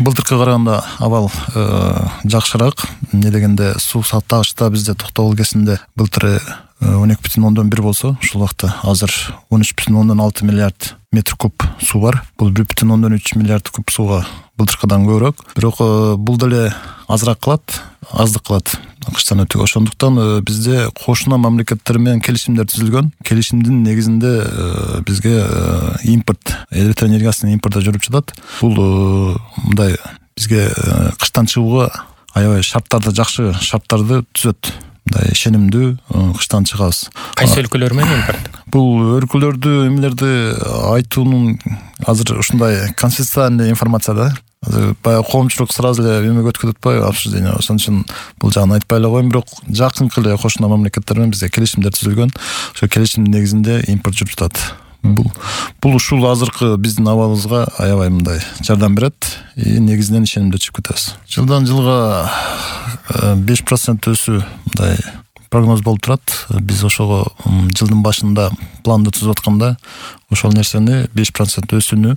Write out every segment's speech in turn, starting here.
былтыркыга караганда абал жакшыраак. Эмне дегенде суу тагышта бизде Токтогул өлкесинде былтыр 12,1 болсо, ушул убакта азыр 13,6 миллиард метр куб суу бар. Бул 1,3 миллиард куб сууга былтыркыдан көбүрөөк. Бирок бул деле азыраак кылат, аздык кылат кыштан өтүп. Ошондуктан бизде кошуна мамлекеттер менен келишимдер түзүлгөн. Келишимдин негизинде бизге импорт, электр энергиясынын импорту жүрүп жатат. Бул мындай бизге кыштан чыгууга аябай жакшы шарттарды түзөт. Мындай ишенимдүү кыштан чыгабыз. Кайсы өлкөлөр менен импорт? Бул өлкөлөрдү эмелерди айтуунун азыр ушундай конфиденциальный информация да. Баягы коомчулук сразу эле эмеге өткүп атпайбы, обсуждение. Ошон үчүн бул жагын айтпай эле коеюн, бирок жакынкы эле кошуна мамлекеттер менен бизде келишимдер түзүлгөн. Ошо келишимдин негизинде импорт жүрүп жатат. Бул ушул азыркы биздин абалыбызга аябай мындай жардам берет. Негизинен ишенимдүү чыгып кетебиз. Жылдан жылга 5% өсүү мындай прогноз болуп турат. Биз ошого жылдын башында планды түзүп атканда ошол нерсени 5% өсүүнү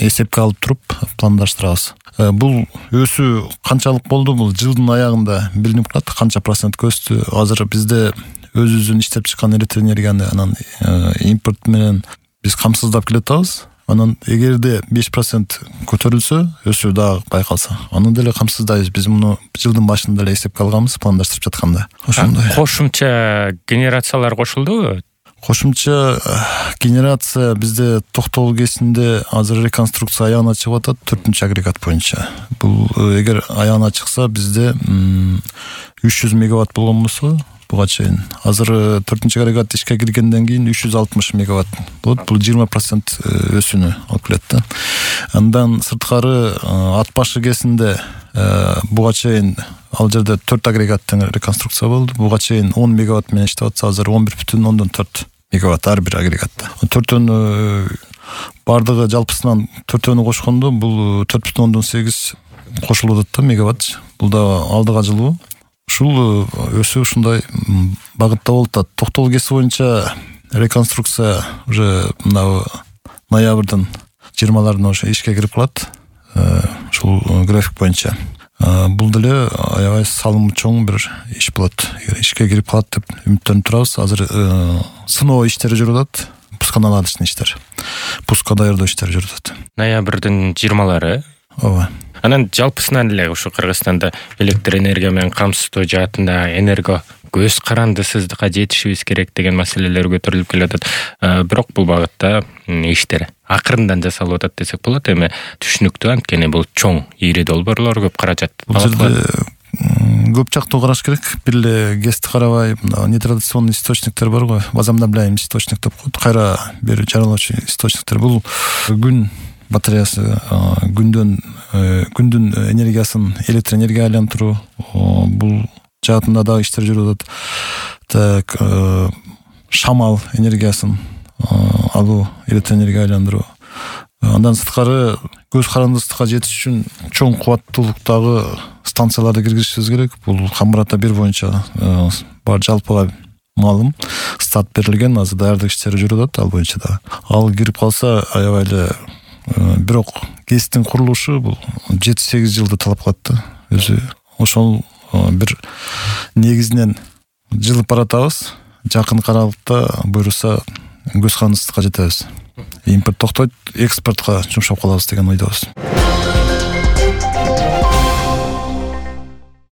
эсепке алып туруп пландаштырабыз. Бул өсүү канчалык болду? Бул жылдын аягында билинип калат, канча процентке өстү. Азыр бизде өзүбүздүн иштеп чыккан электр энергияны анан импорт менен биз камсыздап келатабыз. Анан эгерде 5% көтөрүлсө, өсүү дагы байкалса, аны деле камсыздайбыз. Биз муну жылдын башында эле эсепке алганбыз, пландаштырып жатканда. Ошондой. Кошумча генерациялар кошулдубу? Кошумча генерация бизде Токтогул өлкесинде азыр реконструкция аягына чыгып атат, 4-чү агрегат боюнча. Бул эгер аягына чыкса, бизде 300 мегаватт болгон болсо, буга чейин азыр 4-чү агрегат ишке киргенден кийин 360 мегаватт болот. Бул 20% өсүүнү алып келет да. Андан сырткары ат башы кезинде буга чейин ал жерде 4 агрегаттын реконструкция болду. Буга чейин 10 мегаватт менен иштеп атса, азыр 11,4 мегаватт ар бир агрегатта. 4 бардыгы жалпысынан 4 кошкондо бул 4,8 кошулуп атат да мегаватт. Бул да алдыга жылуу. Ушул өсүү ушундай багытта болуп атат. Токтогул өлкеси боюнча реконструкция уже ноябрдын 20-ларында ошо ишке кирип калат. Ушул график боюнча. Бул деле аябай салымы чоң бир иш болот. Ишке кирип калат деп үмүттөнүп турабыз. Азыр сыноо иштери жүрүп атат. Пусканаладычный иштер. Пуска даярдоо иштери жүрүп атат. Ноябрдын 20-лары. Ооба. Анан жалпысынан эле ушу Кыргызстанда электр энергия менен камсыздоо жаатында энерго көз карандысыздыкка жетишибиз керек деген маселелер көтөрүлүп келатат. Бирок бул багытта иштер акырындан жасалып атат десек болот. Эми түшүнүктүү, анткени бул чоң ийри долбоорлор, көп каражат. Бул жерде көп жактуу караш керек. Бир эле ГЭСти карабай, нетрадиционный источниктер бар го, возобновляемый источник деп коет. Кайра бир жаралуучу источниктер. Бул күн батареясы, күндүн энергиясын электр энергияга айлантыруу, бул жаатында дагы иштер жүрүп атат. Так, шамал энергиясын алуу, электр энергияга айландыруу. Андан сырткары көз карандысызга жетиш үчүн чоң кубаттуулуктагы станцияларды киргизишибиз керек. Бул Камбар-Ата 1 боюнча бар жалпыга маалым старт берилген, азыр даярдык иштери жүрүп атат ал боюнча да. Ал кирип калса аябай эле. Бирок ГЭСтин курулушу бул 7-8 жылды талап кылат да. Өзү ошол бир негизинен жылып баратабыз. Жакын аралыкта буйруса көз карандысызга жетебиз. Импорт токтойт, экспортко жумшап калабыз деген ойдобуз.